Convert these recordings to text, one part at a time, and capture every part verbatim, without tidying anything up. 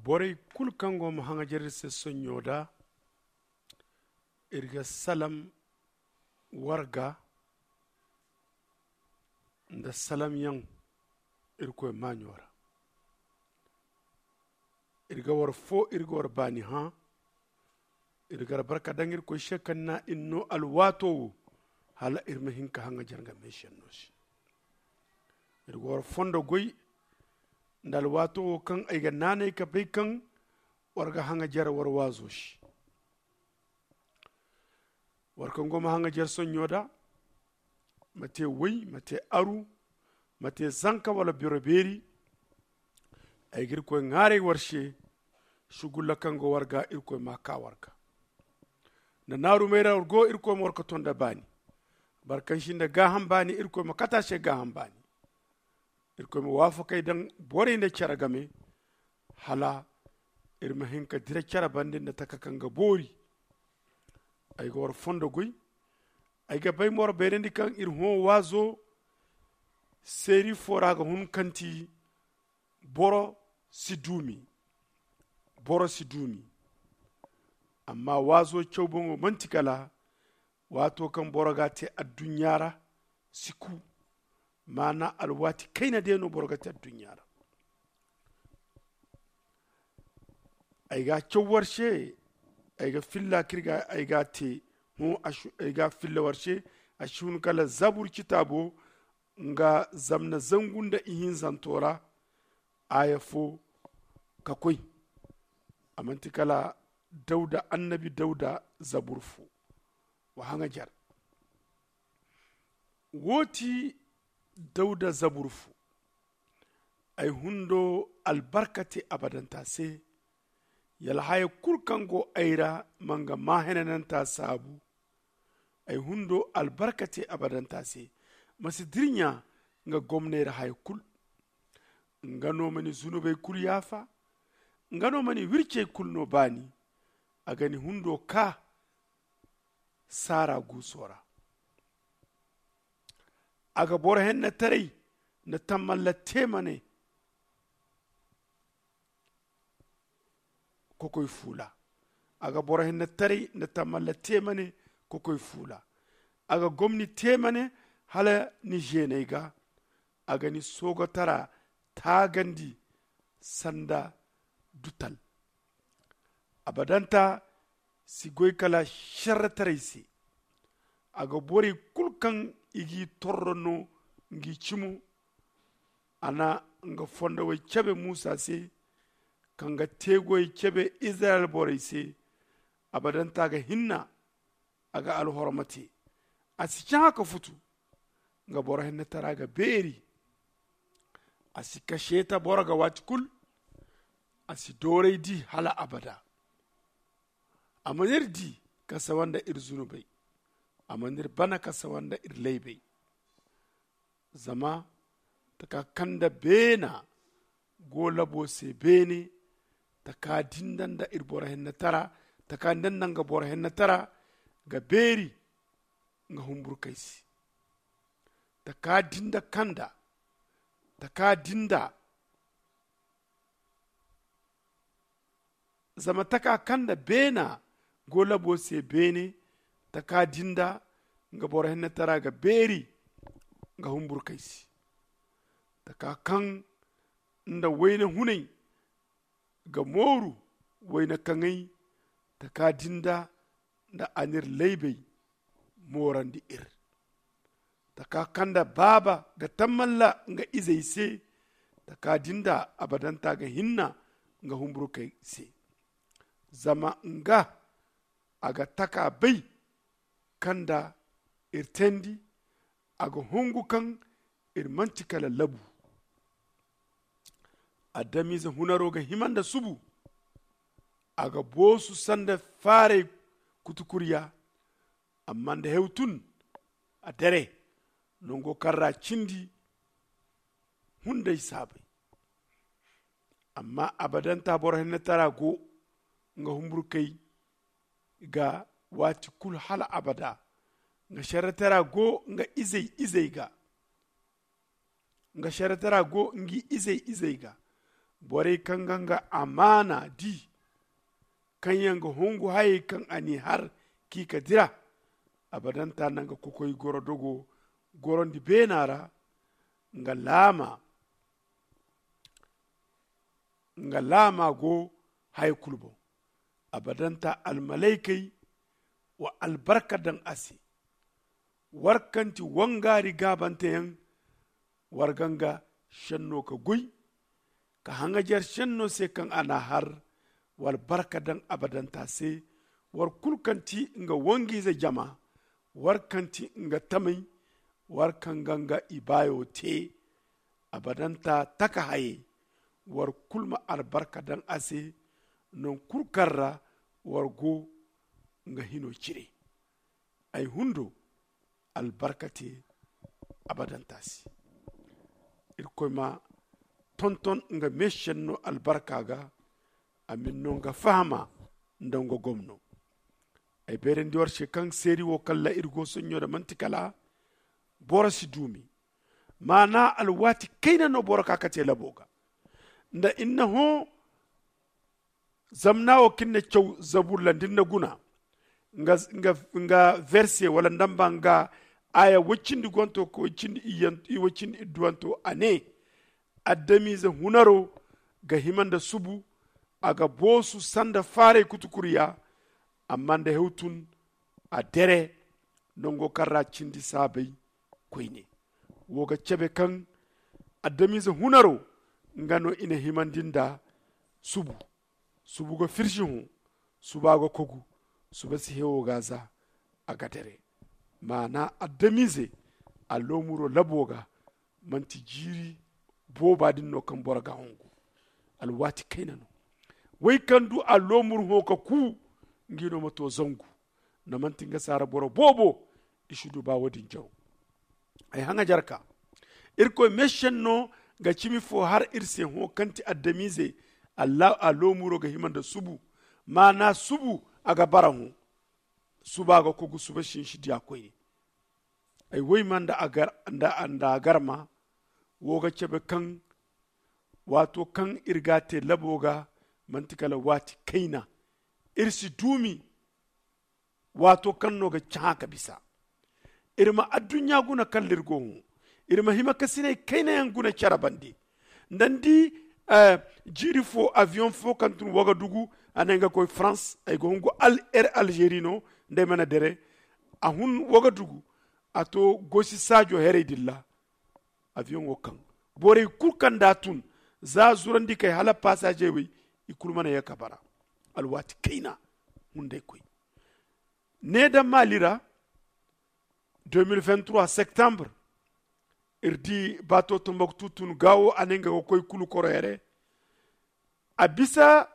Borey kulu kaŋ go ma haŋajer iri se sonɲo da, iri ga salam warga nda salamyaŋ irkoy maaɲo ra. Iri ga war fo iri ga war baani hã. Iri ga albarka daŋ irkoy se kaŋ na iri no alwaato wo, hala iri ma hin ka haŋajer nga meesenno se. Iri ga war fondo goy nda alwaato wo kaŋ ay ga naanay ka bay kaŋ war ga haŋajer war waazo se. War kaŋ go ma haŋajer sonɲo da, ma te way, ma te aru, ma te zanka wala biro beeri. Ay ga irkoy ŋwaaray war se, sugulla kaŋ go war ga irkoy ma a kaa war ga. Nda naarumey ra war go, irkoy ma war ka ton nda baani. Boro kaŋ si nda gaaham baani, irkoy ma kate a se gaaham baani. Irkoy ma waafakey daŋ borey nda care game, hala iri ma hin ka dira care bande nda taka kaŋ ga boori. Ay ga war fondo goy. Ay ga bay ma war bayrandi kaŋ iri hõ waazo seeri fo ra ga hun kaŋ ti boro si duumi. Boro si duumi. Amma waazo caw boŋo manti kala waato kaŋ boro ga a te adduɲɲa ra si ku. Maana alwaati kayna day no boro ga te adduɲɲa ra. Ay ga a caw war se. Ay ga filla kaŋ iri ga ay ga a te hõ. Ay ga a filla war se. A si hun kala zabur citaabo nga zamna zangu nda ihinzanto ra. Aaya fo ka koy. A manti kala dawda annabi dawda zabur fo. Wa haŋajer. Wo ti dawda zabur fo. Ay hundo albarka te abadanta se. Yala haya kulu kaŋ go ay ra ma nga maa henananta saabu. Ay hundo albarka te abadanta se. Ma si dirɲa nga gomney ra haya kulu. Nga no ma ni zunubey kulu yaafa. Nga no ma ni wircey kulu no baani. A ga ni hundo kaa saara guuso ra. A ga boro hennetaray nda tamalla teemane kokoy fuula. A ga boro hennetaray nda tamalla teemane kokoy fuula. A ga gomni teemane hala ni zeeney ga. A ga ni soogotara taagandi sanda dutal. Abadanta si goy kala šerretaray se. A ga borey kulu kaŋ i g'i torro no ngi cimo. A na nga fondowey cabe muusa se kaŋ ga teegoyey cabe izirayel borey se. Abadanta ga hinna. A ga alhorma te. A si cahã ka futu. Nga boro hennetara ga beeri. A si kaseeta boro ga waati kulu. A si dooray di hala abada. A mana iri di ka sawa nda iri zunubey. A mana iri bana ka sawa nda iri laybey. Zama taka kaŋ nda beena go labo se beene. Taka din da nda iri boro hennetara taka din da nda nga boro hennetara ga beeri nga humburkey se. Taka din da kanda taka din da zama taka kaŋ nda beena go labo se beene. Taka din da nga boro hennetara ga beeri nga humburkey se. Taka kaŋ nda wayna hunay ga mooru wayna kaŋay. Taka din da nda a n'iri laybey moorandi iri. Taka kaŋ nda baaba ga tammalla nga izey se. Taka din da abadanta ga hinna nga humburkey se. Zama nga a ga taka bay kaŋ nda iri teendi. A ga hungu kaŋ iri manti kala labu. Adamize hunaro ga hima nda subu. A ga boosu sanda faaray kutukuriya. Amma nda hew tun a dere nango kaŋ ra cindi hunday saabay. Amma abadanta boro hennetara go nga humburkey ga waati kulu hala abada. Nga šerretara go nga izey izey ga nga šerretara go ngi izey izey ga. Borey kaŋ ga nga amaana di, kaŋ yaŋ ga hongu hayey kaŋ a n'i har k'i ka dira. Abadanta na nga kokoy goro dogo gorondi beena ra. Nga laama nga laama go haya kulu boŋ. Abadanta almalaykey wa albarka daŋ a se. War kaŋ ti wangaari gaabanteyaŋ, war ga nga senno ka goy, ka haŋajer senno se kaŋ a n'a har. War barka daŋ abadanta se. War kulu kaŋ ti nga wangiize jama, war kaŋ ti nga tamey, war kaŋ ga nga ibaayo te. Abadanta taka hayey, war kulu ma albarka daŋ a se. Non kulu kaŋ ra war go nga hino cire, ay hundo albarka te abadanta se. Irkoy ma tonton nga meesenno albarka ga. A ma ni no nga fahama nda nga gomno. Ay beerandi war se kaŋ seeri wo kaŋ ra iri go soɲɲo da manti kala boro si duumi. Maana alwaati kayna no boro ka ka te labo ga nda inna hõ. Zamna wo kaŋ ni na caw zabur ra nda ni na guna nga verse wala nda ni ba nga aya woy cindi gonto ka woy cindi idduwanto a ne, adamize hunaro ga hima nda subu. A ga boosu sanda faaray kutukuriya. Amma nda hew tun a dere nango kaŋ ra cindi saabay koyne. Wo ga cabe kaŋ adamize hunaro nga no i na himandi nda subu. Subu ga firsi hõ, suba ga kogu, suba si hewo ga za a ga dere. Maana adamize a loomuro labo ga manti jiiri booba din no kaŋ boro ga hongu. Alwaati kayna no. Way kaŋ du a loomur hõ ka ku, nga no ma to zangu. Nda manti nga saara boro boobo i si du ba wo- din jaro. Ay haŋajarka irkoy meesenno ga cimi fo har iri se hõ kaŋ ti adamize. A loomuro ga hima nda subu. Maana subu a ga bara hõ. Suba ga kogu suba sinsi diya koyne. Ay woy ma nda a garma wo ga cabe kaŋ waato kaŋ iri ga a te labo ga manti kala waati kayna. Iri si duumi waato kaŋ no ga cahã ka bisa. Iri ma adduɲɲa guna kaŋ ra iri go hõ. Iri ma hima kasiney kayna yaŋ guna care bande. Nda ni di jiiri fo aviyoŋ fo kaŋ tun wagadugu a ne nga koy farans ay ga hungu er alzeeri no. Nda ay mana dere a hun wagadugu a to gosi saajo herey din ra. Aviyoŋo kaŋ borey kulu kaŋ nda a tun za zurandi kay hala pasaje wey i kulu mana ye ka bara. Alwaati kayna hunday koy ne daŋ maali ra. Deux mille vingt trois septembre iri di baato tombok tutun gaawo a ne nga ga koy kulu koro here. A bisa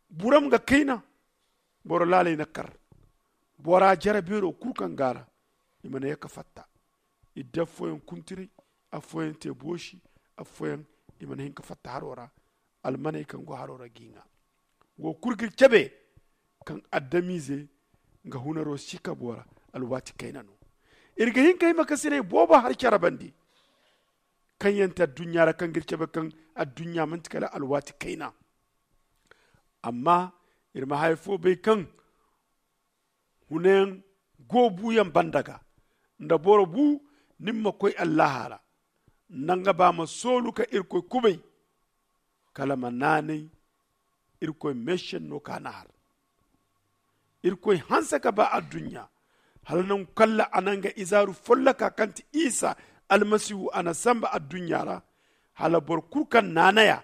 buram ga kayna. Boro laaley na kar bora jare beero kulu kaŋ gaara. I mana ye ka fatta. Idda afooyaŋ kuntiray, afooyaŋ te boosi, afooyaŋ i mana hin ka fatta haro ra. Almaney kaŋ go haro ra g'i ŋwa wo kulu ga iri cabe kaŋ adamize nga hunaro si ka bora. Alwaati kayna no iri ga hin ka hima kasiney boobo har care bande. Kaŋ yaŋ ti adduɲɲa ra kaŋ ga iri cabe kaŋ adduɲɲa manti kala alwaati kayna. Amma iri ma haya fo bay kaŋ hunayaŋ go buuyaŋ banda ga nda boro bu ni ma koy allaha ra. Nda nga ba ma soolu ka irkoy kubay kala ma naanay. Irkoy meesenno ka na har irkoy hanse ka ba adduɲɲa hala nangu kaŋ ra a na nga izaaru folloka kaŋ ti isa almasihu a na samba adduɲɲa ra hala boro kulu kaŋ naanay a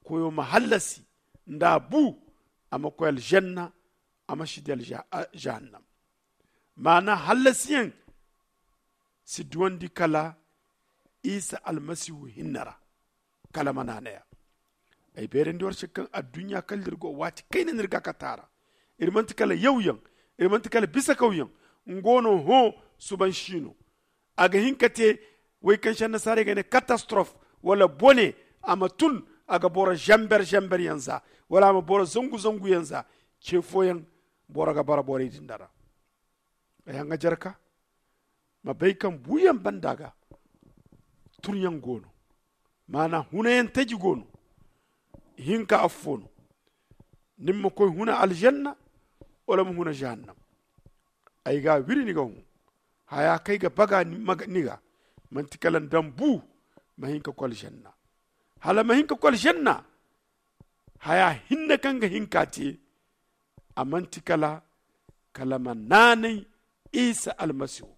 koyo ma hallasi nda a bu a ma koy alžanna. A ma si di jahannam. Maana hallasiyaŋ si duwandi kala isa almasihu hinne ra. Kala ma naanay a ay beerandi war se kaŋ adduɲɲa kala da iri go waati kayna no iri ga a kate a ra. Iri manti kala yawyaŋ, iri manti kala bisakawyaŋ. Nga no hõ suban si no a ga hin ka te way kaŋ se annasaarey ga ne katastorof wala bone. A ma tun a ga boro zamber zamber yaŋ za wala a ma boro zangu zangu yaŋ za. Ce fooyaŋ boro ga bara borey din da ra. Ay haŋajarka ma bay kaŋ buuyaŋ banda ga turyaŋ go no. Maana hunayaŋ taji go no. hinka affo no. Ni ma koy huna aljanna wala ma huna jahannam. Ay ga wiri ni ga hun haya kaŋ ay ga baga ni ga manti kala ni daŋ bu ma hin ka koy aljanna. Hala ma hin ka koy aljanna haya hinne kaŋ ga hin ka te a manti kala kala ma naanay isa almasihu.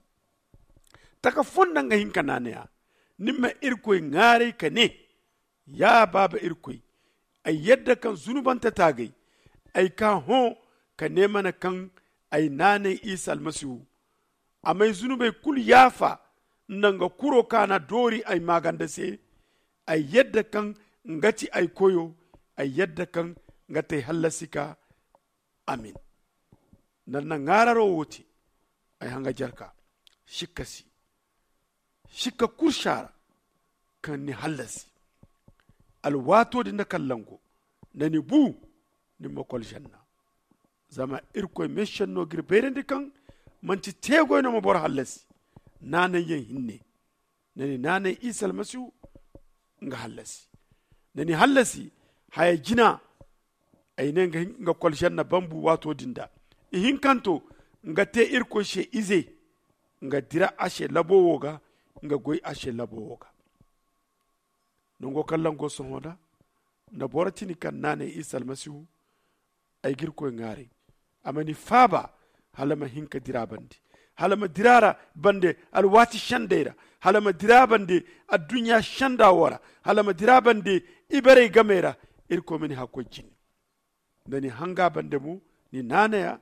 Taka fonda nga hin ka naanay a ni ma irkoy ŋaaray ka ne ya baaba irkoy, ay yadda kaŋ zunubante taagay ay ka hõ ka ne mana kaŋ ay naanay isa almasihu. A m'ay zunubey kulu yaafa nda nga kuro kaŋ a na doori ay maaganda se. Ay yadda kaŋ nga ti ay koyo. Ay yadda kaŋ nga ti ay hallasi ka. Amin. Nda ni na ŋaararo wo te ay hanga jarka sikka si. Sikka kursa ra kaŋ ni hallasi alwaato din nda kallango nda ni bu ni ma koy aljanna. Zama irkoy meesenno ga iri bayrandi kaŋ manti teegoy no ma boro hallasi. Naanayyaŋ hinne nda ni naanay isa almasihu nga hallasi. Nda ni hallasi haya jina ay ne nga koy aljanna bambu waato din da. Ihinkanto nga te irkoy se ize nga dira a se labo wo ga nga goy a se labo wo ga. Nango kaŋ lango sohõ da nda boro tini kaŋ naanay isa almasihu. Ay ga irkoy ŋwaaray a ma ni faaba hala ma hin ka dira bande hala ma dira ra bande alwaati sendey ra hala ma dira bande adduɲɲa senda wo ra hala ma dira bande ibarey game ra. Irkoy ma ni hakkoy jine nda ni hanga bande mo ni naanaya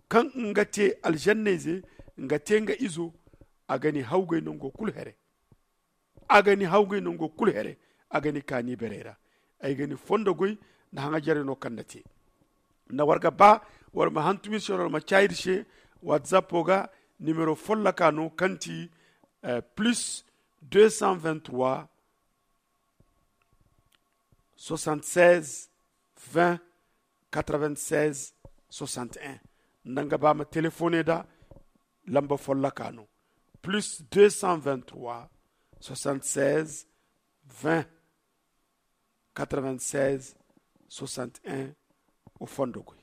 kaŋ nga te alzannayze nga te nga izo a ga ni hawgay nango kulu here. A ga ni hawgay nango kulu here a ga ni kaani ibarey ra. Ay ga ni fondo goy nda haŋajarey no kaŋ nda te nda war ga ba war ma hantum iri se wala war ma caayi iri se. Watsapo ga nimero folloka no kaŋ ti plus deux cent vingt-trois soixante-seize vingt quatre-vingt-seize soixante-un. Nda nga ba ma telefone nda lamba folloka no plus deux cent vingt-trois soixante-seize vingt quatre-vingt-seize soixante-un. Wa fondo goy.